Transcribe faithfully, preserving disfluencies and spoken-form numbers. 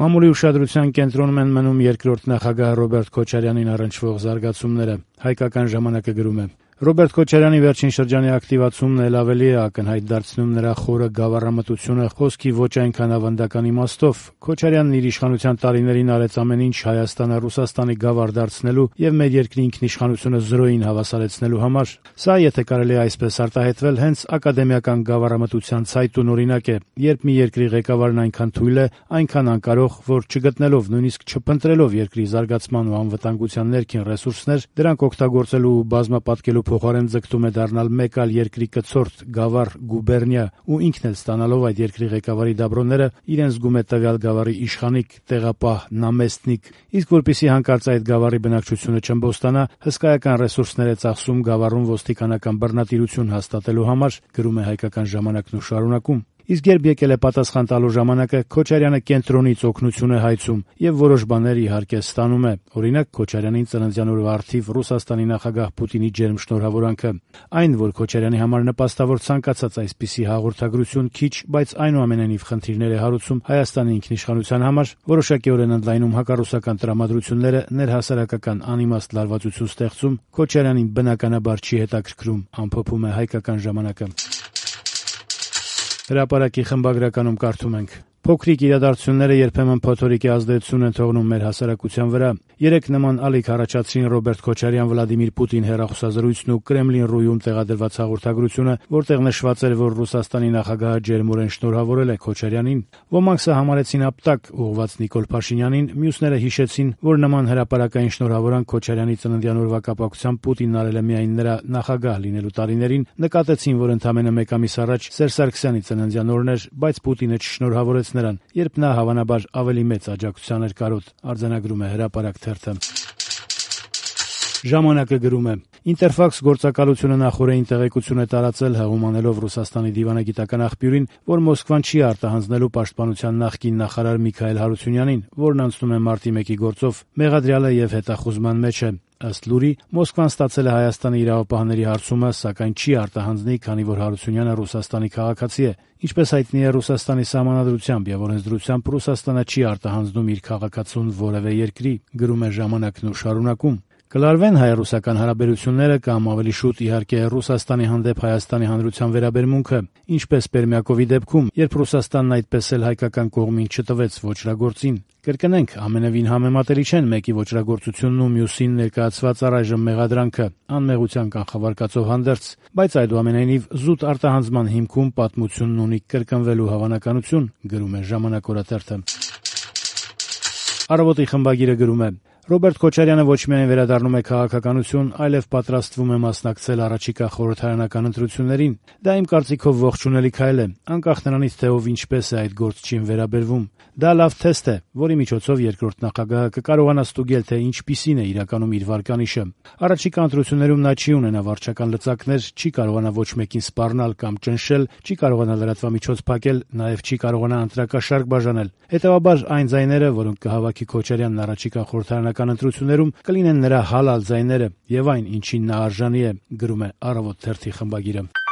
Մամուլի ուշադրության կենտրոնում են մնում երկրորդ նախագահ Ռոբերտ Քոչարյանին առնչվող զարգացումները։ Հայկական ժամանակը գրում է. Ռոբերտ Քոչարյանի վերջին շրջանի ակտիվացումն էլ ավելի է ակնհայտ դարձնում նրա խորը գավառամտությունը խոսքի ոչ այնքան ավանդական իմաստով։ Քոչարյանն իր իշխանության տարիներին արեց ամեն ինչ Հայաստանը Ռուսաստանի գավառ դարձնելու եւ մեր երկրի ինքնիշխանությունը զրոյին հավասարեցնելու համար։ Սա, եթե կարելի է այսպես արտահայտվել, հենց ակադեմիական գավառամտության ցայտուն օրինակ է, երբ մի երկրի ղեկավարն այնքան թույլ է, այնքան անկարող, որ չգտնելով, նույնիսկ չփնտրելով երկրի զարգացման ու անվտանգության ներքին ռեսուրսներ, դրանք օգտագործելու ու բազմապատկելու փոխարեն ձգտում է դառնալ մեկ այլ երկրի կցորդ, գավառ, գուբերնիա ու ինքն էլ ստանալով այդ երկրի ղեկավարի դաբրոները, իրեն զգում է տվյալ գավառի իշխանիկ, տեղապահ, նամեստնիկ, իսկ որպեսզի հանկարծ այդ գավառի բնակչությունը չըմբոստանա, հսկայական ռեսուրսներ է ծախսում գավառում ոստիկանական բռնատիրություն հաստատելու համար, գրում է Հայկական ժամանակն ու շարունակում։ Իսկ երբ եկել է պատասխան տալու ժամանակը, Քոչարյանը կենտրոնից օգնություն է հայցում եւ որոշ բաներ իհարկե ստանում է։ Օրինակ, Քոչարյանին ծննդյան օրվա առթիվ Ռուսաստանի նախագահ Պուտինի ջերմ շնորհավորանքը։ Այն, որ Քոչարյանի համար նպաստավոր ցանկացած այսպիսի հաղորդագրություն քիչ, բայց այնուամենայնիվ խնդիրներ է հարուցում Հայաստանի ինքնիշխանության համար, որոշակիորեն ընդլայնում հակառուսական տրամադրությունները, ներհասարակական անիմաստ լարվածություն ստեղծում, Քոչարյանին բնականաբար չի հետաքրքրում, ամփոփում է Հայկական ժամանակը։ Հրապարակի խմբագրականում կարդում ենք. Փոքրիկ իրադարձությունները երբեմն փոթորիկի ազդեցություն են թողնում մեր հասարակության վրա։ Երեք նման ալիք առաջացրին Ռոբերտ Քոչարյան-Վլադիմիր Պուտին հեռախոսազրույցն ու Կրեմլին-Ռույում տեղադրված հաղորդագրությունը, որտեղ նշված էր, որ Ռուսաստանի նախագահը ջերմորեն շնորհավորել է Քոչարյանին։ Ոմանք սա համարեցին ապտակ ուղղված Նիկոլ Փաշինյանին, մյուսները հիշեցին, որ նման հրապարակային շնորհավորանք Քոչարյանի ծննդյան օրվա կապակցությամբ Պուտինն արել է միայն նրա նախագահ լինելու տարիներին, նկատեցին, որ ընդամենը մեկ ամիս առաջ Սերժ Սարգսյանի ծննդյան օրն էր, բայց Պուտինը չշնորհավորեց նրան, երբ նա հավանաբար ավելի մեծ աջակցության էր կարոտ, արձանագրում է Հրապարակ թերթը։ Ժամանակը գրում է. Ինտերֆաքս գործակալությունը նախօրեին տեղեկություն է տարածել, հեղումանելով Ռուսաստանի դիվանագիտական աղբյուրին, որ Մոսկվան չի արտահանձնելու պաշտպանության նախկին նախարար Միքայել Հարությունյանին, որն անցնում է մարտի մեկի գործով, մեղադրյալ է եւ հետախուզման մեջ է։ Ըստ լուրի, Մոսկվան ստացել է Հայաստանի իրավապահների հարցումը, սակայն չի արտահանձնի, քանի որ Հարությունյանը Ռուսաստանի քաղաքացի է։ Ինչպես հայտնի է, Ռուսաստանի սահմանադրությամբ եւ օրենսդրությամբ Ռուսաստանը չի արտահանձնում իր քաղաքացուն որևէ երկրի, գրում է Ժամանակն ու շարունակում։ Կլարվեն հայ-ռուսական հարաբերությունները կամ ավելի շուտ իհարկե Ռուսաստանի հանդեպ Հայաստանի Հանրության վերաբերմունքը, ինչպես Պերմյակովի դեպքում, երբ Ռուսաստանն այդպես էլ հայկական կողմին չտվեց ոճրագործին։ Կրկնենք, ամենևին համեմատելի չեն մեկի ոճրագործությունն ու մյուսին ներկայացված առայժմ մեղադրանքը, անմեղության կանխավարկածով հանդերձ, բայց այդուամենայնիվ զուտ արտահանձման հիմքում պատմությունն ունի կրկնվելու հավանականություն, գրում է Ժամանակ օրաթերթը։ Առավոտի խմբագիրը գրում է. Ռոբերտ Քոչարյանը ոչ միայն վերադառնում է քաղաքականություն, այլև պատրաստվում է մասնակցել առաջիկա խորհրդարանական ընտրություններին։ Դա իմ կարծիքով ողջունելի քայլ է, անկախ նրանից, թե ով ինչպես է այդ գործչին վերաբերվում։ Դա լավ թեստ է, որի միջոցով երկրորդ նախագահը կկարողանա ստուգել, թե ինչպիսին է իրականում իր վարկանիշը։ Առաջիկա ընտրություններում նա չի ունենա վարչական լծակներ, չի կարողանա ոչ մեկին սպառնալ կամ ճնշել, չի կարողանա լրատվամիջոց փակել, նաև չի կարողանա ընտրակաշարք բաժանել։ Հետևաբար այն ձայները, որոնք կհավաքի Քոչարյանն առաջիկա խորհրդարանական ընտրություններում, կլինեն նրա հալալ ձայները եւ այն, ինչին նա արժանի է, գրում է Առավոտ թերթի խմբագիրը։